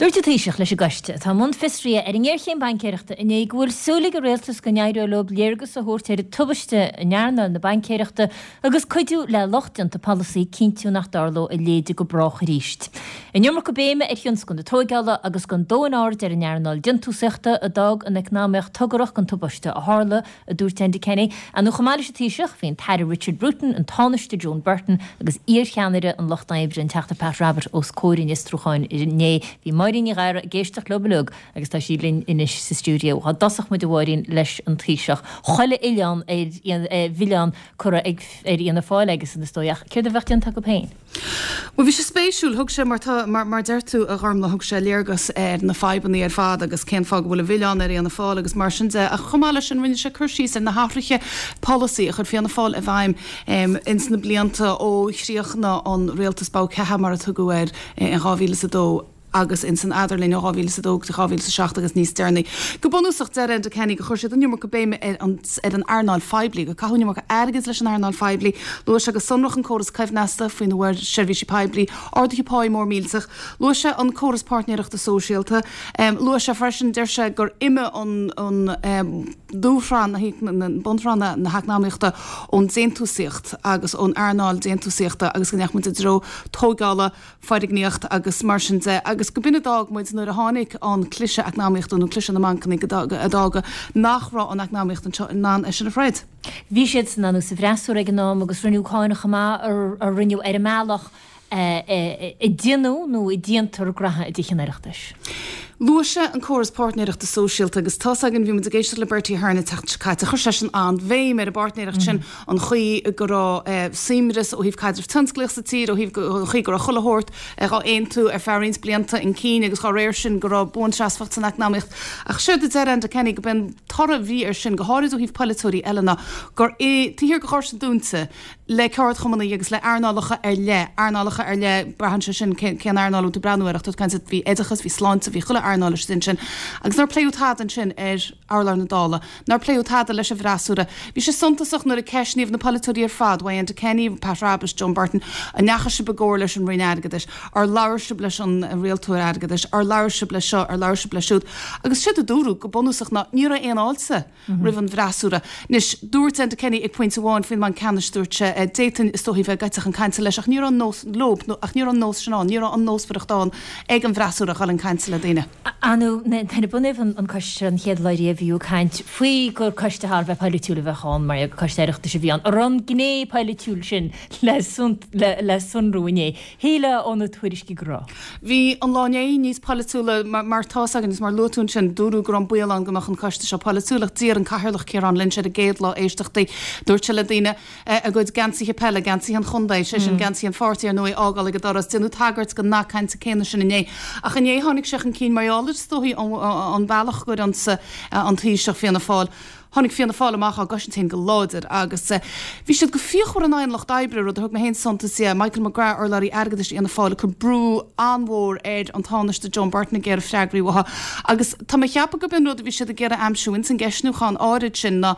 Dúirt an Taoiseach leis an gcoiste atá i mbun fiosraithe ar an ngéarchéim baincéireachta inné go bhfuil súil ag an rialtas go n-éireoidh leo léargas a thabhairt ar an tubaiste in earnáil na baincéireachta agus cuidiú le lucht déanta polasaí cinntiú nach dtarlóidh a leithéid go brách arís. An iomarca béime ar thionscal na tóigeála agus gan dóthain aird ar an earnáil déantúsaíochta a d'fhág an eacnamaíocht togaireach don tubaiste a tharla a dúirt Enda Kenny. Ar ndóigh chomh maith leis an Taoiseach, bhí an tAire Richard Bruton, an Tánaiste Joan Burton agus iarcheannaire an Lucht Oibre, an Teachta Pat Rabbitte os comhair an fhiosrúcháin inné. Bhí Máirín Ní Ghadhra ag éisteacht leo uilig agus tá sí linn anois sa stiúideo. Dá dtosódh muid, a Mháirín, leis an Taoiseach. Chuile oileán ar mhilleán curtha ar Fhianna Fáil aigesan is dóigh ach céard a bheadh déanta acu féin? Bhuel, bhí sé spéisiúil. Thug sé, mar tá, mar, mar deir tú, a Ghormlaith, thug sé léargas ar na fadhbanna ar fad agus cén fáth go bhfuil an milleán ar Fhianna Fáil agus mar sin de. Ach chomh maith leis sin, rinne sé cur síos ar na hathruithe polasaí a chuir Fianna Fáil i bhfeidhm ins na blianta ó chríochnaigh an rialtas bogha ceatha, mar a tugadh air, in 2002. agus ins an eadarlinn ó 2002 go dtí 2007 agus níos deireanaí. Go bunúsach, deir Enda Kenny gur chuir siad an iomarca béime ar an ar an earnáil phoiblí, gur caitheadh an iomarca airgid leis an earnáil phoiblí. Luaigh sé go sonrach an córas coibhneasta faoina bhfuair seirbhísigh poiblí arduithe páí mór millteach. Luaigh sé an córas páirtnéireachta sóisialta. Luaigh sé freisin, deir sé, gur imigh an an dúshraith na bunshraith na heacnamaíochta ón déantúsaíocht agus ón earnáil déantúsaíochta agus go ndeachaigh muid i dtreo tóigeála, foirgníocht agus mar sin de agus go b'in a d'fhág muid nuair a tháinig an cliseadh eacnamaíochta nó cliseadh na mbancanna go a d'fhág nach raibh an eacnamaíocht anseo in ann é sin a throid. Bhí siadsan ar ndóigh sa bhfreasúra ag an am agus rinneadh cáineadh chomh maith a rinneadh ar an mbealach a déanadh nó a déantar graithe i dTithe an Oireachtais. Luaigh sé an córas páirtnéireachta sóisialta agus tá's againn, bhí muid ag éisteacht le Bertie Ahern an tseachtain seo caite, chuir seisean an-bhéim ar an bpáirtnéireacht sin, an chaoi go raibh suaimhneas ó thaobh caidreamh tionsclaíoch sa tír, ó thaobh an chaoi go raibh chuile shórt dhá aontú ar feadh roinnt blianta chun cinn agus dá réir sin go raibh buanseasmhacht san eacnamaíocht. Ach séard a deir Enda Kenny go b'é an toradh a bhí air sin, go háirid ó thaobh polaiteoirí eile ná gur taobh thiar de dhoirse dúnta, le ceardchumannaí agus le earnálacha ar leith, earnálacha ar leith, braitheann sé sin cén earnáil a bhfuil tú ag breathnú air ach tá tú ag caint, bhí oideachas, bhí sláinte, bhí chuile earnáil istigh ansin agus nár pléadh tada ansin ar urlár na Dála, nár pléadh tada leis an bhfreasúra. Bhí sé suntasach nuair a ceistníodh na polaiteoirí ar fad, uaidh Enda Kenny, Pat Rabbitte, Joan Burton, an ndeachaigh sibh i gcomhairle leis an Roinn Airgeadais, ar labhair sibh leis an rialtóir airgeadais, ar labhair sibh leis seo, ar labhair sibh leis siúd agus séard a dúradh go bunúsach ná ní raibh aon fháilte. roimh an bhfreasúra. Anois, dúirt Enda Kenny ag pointe amháin faoin mBanc Ceannais, dúirt sé, d'fhéadfainn is dóichí bheith ag goil chun cainte leis ach ní raibh an nós, leo, nó ach ní raibh an nós sin ann, ní raibh an nósmhaireacht ann ag an bhfreasúra a dhul chun cainte le daoine. Ar ndóigh, nuair a bunaíodh an coiste seo an chéad lá riamh bhí ag caint faoi gur coiste thar a bheith polaitiúil a bheadh ann, mar gur coiste Oireachtais a bhí ann. An raibh an gné polaitiúil sin le sonrú inné? Shílfeá ó na tuairiscí go raibh. Bhí an lá inné níos polaitiúla mar tá's againn agus mar luaigh tú ansin, dúradh go raibh an baol ann go mbeadh an coiste seo polaitiúil ach d'iarr an Cathaoirleach Ciarán Lynch ar an gcéad lá éisteachtaí, dúirt sé le daoine a gcuid geansaithe peile, geansaithe an chontae, sé sin geansaithe an pháirtí ar ndóigh, a fhágáil ag an doras. Déanadh tagairt don nath cainte céanna sin inné. Ach inné tháinig sé chun cinn mar gheall ar is dóichí an bealach gur ionsaigh an Taoiseach Fianna Fáil. Tháinig Fianna Fáil amach á gcosaint féin go láidir agus bhí siad go fíochmhar in aghaidh an Lucht Oibre, rud a thug mé féin suntas dhe. Michael McGrath, urlabhraí airgeadais Fhianna Fáil, ag cur brú an-mhór ar an Tánaiste Joan Burton ag iarraidh freagraí uaithi. Agus tá mé ag ceapadh gurb in rud a bhí siad ag iarraidh a aimsiú ins an gceistniúchán áirid sin ná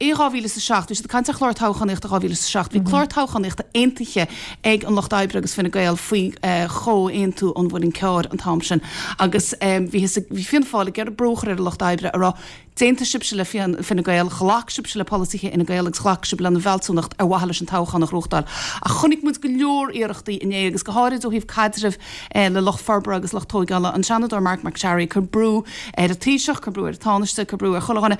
i 2007, bhí siad ag caint ar chlár toghchánaíochta 2007, bhí clár toghchánaíochta aontaithe ag an Lucht Oibre agus Fine Gael faoi Chomhaontú an Mhuilinn Cearr an t-am sin agus bhí Fianna Fáil ag iarraidh brú a chur ar an Lucht Oibre a rá D'aontaigh sibhse le Fine Gael, ghlac sibhse le polasaithe Fhine Gael agus ghlac sibh lena bhfealsúnacht ar mhaithe leis an toghchán a ghnóthachtáil. Ach chonaic muid go leor iarrachtaí inné agus go háirid ó thaobh caidrimh le lucht forbartha agus lucht tóigeála, an Seanadóir Marc MacSharry ag cur brú ar an Taoiseach, ag cur brú ar an Tánaiste, ag cur brú ar chuile dhuine.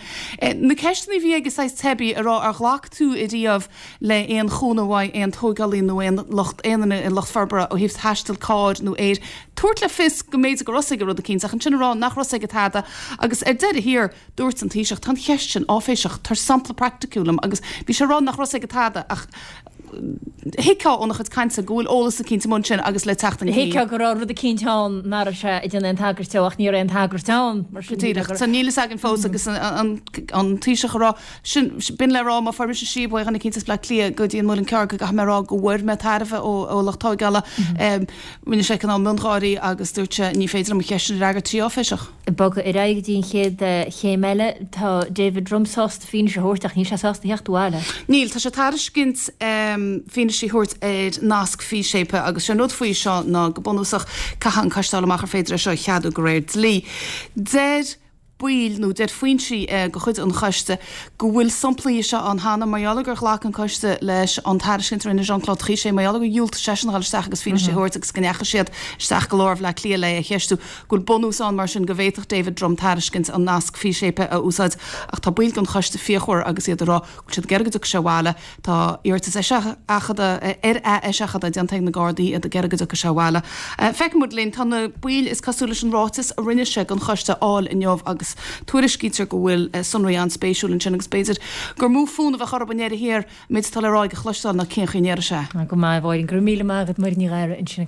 Na ceisteanna a bhí aige saghas teibí a rá ar ghlac tú ariamh le aon chúnamh uaidh aon tóigeálaí nó aon lucht aon duine i lucht forbartha ó thaobh taisteal cairr nó aeir tabhairt le fios go mb'fhéidir go raibh 's aige rud eicínt ach ansin a rá nach raibh 's aige tada agus ar deireadh thiar dúirt an Taoiseach tá an cheist sin áiféiseach, tabhair sampla praiticiúil dom agus bhí sé ag rá nach raibh 's aige tada ach thuigfeá óna chuid cainte go bhfuil eolas eicínt amuigh ansin agus le teacht chun cinn. Thuigfeá go raibh rud eicínt ann nach raibh sé ag déanamh aon tagairt dó ach ní raibh aon tagairt ann mar sin. Go díreach. So níl fhios againn fós agus an Taoiseach a rá Sin, b'in le rá, má fuair mise síob ó dhuine eicínt as Bleá Cliath go dtí an Muileann Cearr go gcaithfidh mé a rá go bhfuair mé tairbhe ó lucht tóigeála. Rinne sé cineál miongháirí agus dúirt sé, ní féidir liom an cheist sin a fhreagairt, tá sí áiféiseach. Ag bogadh ar aghaidh go dtí an chéad chéim eile, tá David Drumm sásta fianaise a thabhairt ach níl sé sásta theacht abhaile. Níl, tá sé ag tairiscint. fianaise a thabhairt ar nasc físéipe agus sé an rud faoi seo ná go bunúsach caithfidh an coiste a fháil amach ar féidir é seo a cheadú de réir dlí. Deir baill nó deir foinsí de chuid an choiste go bhfuil samplaí de seo ann cheana mar gheall ar gur ghlac an coiste leis an tairiscint a rinne Jean-Claude Trichet mar gheall ar gur dhiúltaigh seisean a dhul isteach agus fianaise a thabhairt agus go ndeachaigh siad isteach go lár Bhaile Átha Cliath le é a cheistiú go bhfuil bunús ann mar sin go bhféadfadh David Drumm tairiscint an nasc físéipe a úsáid ach tá baill den choiste fíochmhar agus iad ag rá go bhfuil siad ag iarraidh go dtiocfaidh sé abhaile. Tá iarratas eiseachadta ar ath-eiseachadadh déanta ag na Gardaí, iad ag iarraidh go dtiocfaidh sé abhaile. Feicfidh muid linn. Tá na baill is cosúil leis an ráiteas a rinne sé don choiste a fháil inniu agus tuairiscítear go bhfuil sonraí an-spéisiúil ansin agus b'fhéidir gur mó fonn a bheadh orthu i ndeireadh thiar an méid atá le rá aige a chloisteáil ná cén chaoi a ndéarfaidh sé. Go maith, a Mháirín. Go raibh míle maith agat, Máirín Ní Ghadhra ansin.